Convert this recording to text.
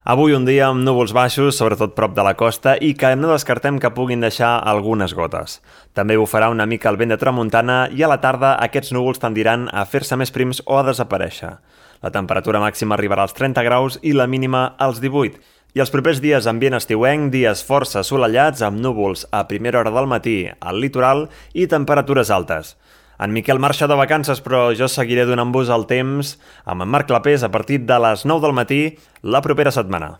Avui un dia amb núvols baixos, sobretot prop de la costa, i que no descartem que puguin deixar algunes gotes. També bufarà una mica el vent de tramuntana i a la tarda aquests núvols tendiran a fer-se més prims o a desaparèixer. La temperatura màxima arribarà als 30 graus i la mínima als 18. I els propers dies ambient estiuenc, dies força assolellats amb núvols a primera hora del matí al litoral i temperatures altes. En Miquel marxa de vacances, però jo seguiré donant-vos el temps amb en Marc Clapés a partir de les 9 del matí la propera setmana.